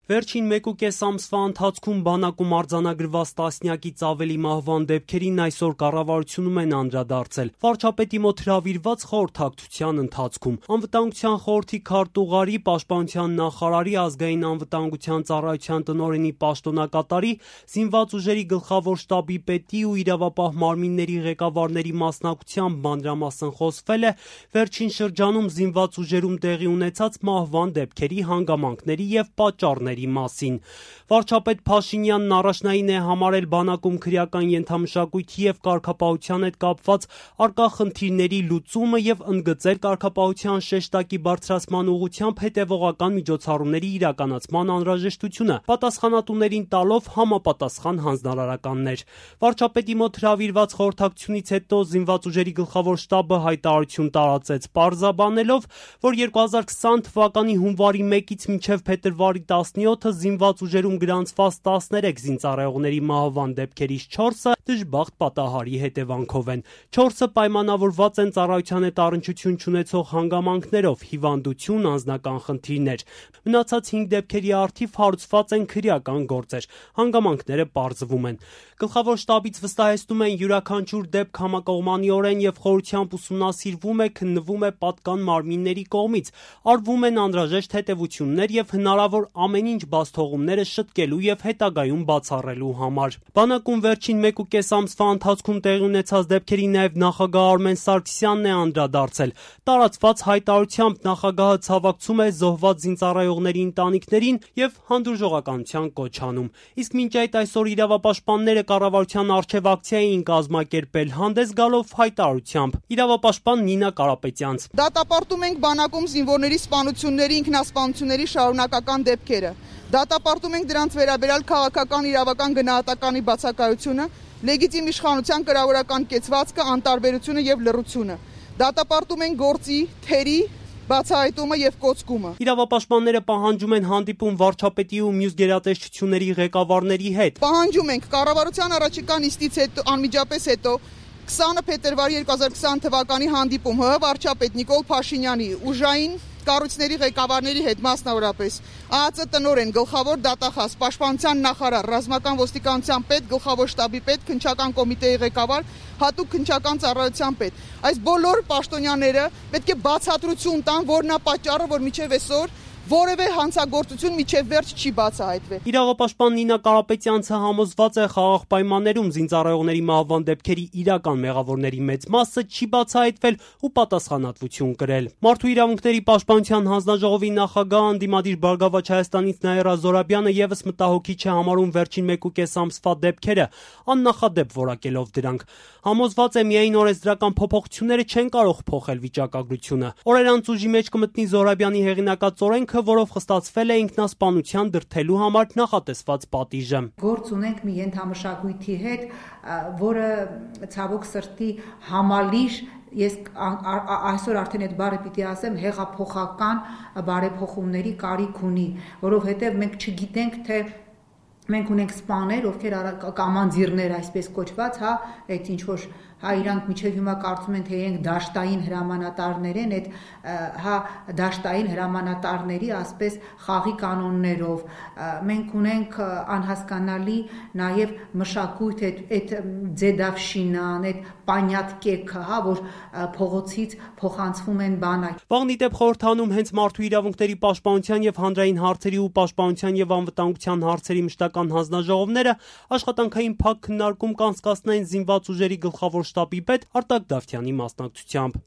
Վերջին 1.5 ամսվա ընթացքում բանակում արձանագրված տասնյակից ավելի մահվան դեպքերին այսօր կառավարությունում են անդրադարձել։ Վարչապետի մոտ հրավիրված խորհրդակցության ընթացքում Անվտանգության խորհրդի քարտուղարի, Պաշտպանության նախարարի, Ազգային անվտանգության ծառայության տնօրենի պաշտոնակատարի, Զինված ուժերի գլխավոր շտաբի պետի ու իրավապահ մարմինների ղեկավարների մասնակցությամբ մանրամասն խոսվել է վերջին շրջանում զինված ուժերում տեղի ունեցած մահվան դեպքերի հանգամանքների եւ պատճառների մասին։ Վարչապետ Փաշինյանն առաջնային է համարել բանակում քրեական ենթամշակույթի եւ կարգապահության հետ կապված առկա խնդիրների լուծումը եւ ընդգծել կարգապահության շեշտակի բարձրացման ուղղությամբ հետեւողական միջոցառումների իրականացման անհրաժեշտությունը, պատասխանատուներին տալով համապատասխան հանձնարարականներ։ Վարչապետի մոտ հրավիրված խորհրդակցությունից հետո Զինված ուժերի գլխավոր շտաբը հայտարարություն տարածեց, պարզաբանելով, որ 2020 թվականի հունվարի 1-ից մինչև փետրվարի 17-ը զինված ուժերում գրանցված 13 զինծառայողների մահվան դեպքերից 4-ը դժբախտ պատահարի հետևանքով են։ 4-ը պայմանավորված են ծառայության հետ առնչություն չունեցող հանգամանքներով, հիվանդություն, անձնական խնդիրներ։ Մնացած 5 դեպքերի առթիվ հարուցված են քրեական գործեր։ Հանգամանքները պարզվում են։ Գլխավոր շտաբից վստահեցնում են, յուրաքանչյուր դեպք համակողմանիորեն եւ խորությամբ ուսումնասիրվում է, քննվում է պատկան մարմինների կողմից, արվում են անհրաժեշտ հետևություններ եւ հնարավոր ամեն ինչ բացթողումները շտկելու եւ հետագայում բացառելու համար։ Բանակում վերջին 1.5 ամսվա ընթացքում տեղի ունեցած դեպքերի նաեւ նախագահ Արմեն Սարգսյանն է անդրադարձել։ Տարածված հայտարարությամբ նախագահը ցավակցում է զոհված զինծառայողների ընտանիքներին եւ հանդուրժողականության կոչ անում։ Իսկ մինչ այդ այսօր իրավապաշտպանները կառավարության առջև ակցիա էին կազմակերպել, հանդես գալով հայտարարությամբ։ Իրավապաշտպան Նինա Կարապետյանց. Դատապարտում ենք բանակում զինվորների սպանությունների, ինքնասպանությունների շարունակական դեպքերը։ Դատապարտում ենք դրանց վերաբերյալ քաղաքական իրավական գնահատականի բացակայությունը, լեգիտիմ իշխանության կրավորական կեցվածքը, անտարբերությունը եւ լռությունը։ Դատապարտում ենք գործի, թերի բացահայտումը եւ կոծկումը։ Իրավապաշտպանները պահանջում են հանդիպում վարչապետի ու մյուս գերատեսչությունների ղեկավարների հետ։ Պահանջում ենք կառավարության առաջիկա նիստից հետո անմիջապես հետո 20 փետրվարի 2020 թվականի հանդիպում ՀՀ վարչապետ Նիկոլ Փաշինյանի ուժային կառույցների ղեկավարների հետ, մասնավորապես ԱԱԾ տնօրեն, գլխավոր դատախազ, պաշտպանության նախարար, ռազմական ոստիկանության պետ, գլխավոր շտաբի պետ, քննչական կոմիտեի ղեկավար, հատուկ քննչական ծառայության պետ։ Այս բոլոր պաշտոնյաները պետք է բացատրություն տան, որն է պատճառը, որ մինչև այսօր որևէ հանցագործություն միջև վերջ չի բացահայտվել։ Իրավապաշտպան Նինա Կարապետյանցը համոզված է խաղաղ պայմաններում զինծառայողների մահվան դեպքերի իրական մեղավորների մեծ մասը չի բացահայտվել ու պատասխանատվություն կրել։ Մարդու իրավունքների պաշտպանության հանձնաժողովի նախագահ անդիմադիր Բարգավաճ Հայաստանից Նաիրա Զորաբյանը եւս մտահոգիչ է համարում վերջին 1.5 ամսվա դեպքերը, աննախադեպ որակելով դրանք։ Համոզված է միայն օրենսդրական փոփոխությունները չեն կարող փոխել վիճակագրությունը։ Օրեր անց ուժի մեջ կմտնի Զորաբյանի հեղինակած օրենքը, որով խստացվել է ինքնասպանության դրդելու համար նախատեսված պատիժը։ Գործ ունենք մի ենթամշակույթի հետ, որը ցավոք սրտի համալիր, ես այսօր արդեն այդ բառը պիտի ասեմ, հեղափոխական բարեփոխումների կարիք ունի, որովհետև մենք չգիտենք, թե մենք ունենք սպաներ, ովքեր կամանձիրներ, այսպես կոչված, այդ ինչ որ իրանք միջև հիմա կարծում են, թե իրենք դաշտային հրամանատարներ են, այդ դաշտային հրամանատարների ասպես խաղի կանոններով։ Մենք ունենք անհասկանալի նաև մշակույթ, այդ ձեդավշինան, այդ պանյատկեքը, որ փողոցից փոխանցվում են բանակ։ Վաղն ի դեպ խորհրդանում հենց մարդու իրավունքների պաշտպանության եւ հանրային հարցերի ու պաշտպանության եւ անվտանգության հարցերի մշտական հանձնաժողովները աշխատանքային փակ քննարկում կանցկացնեն զինված ուժերի գլխավոր շտաբի պետ Արտակ Դավթյանի մասնակցությամբ։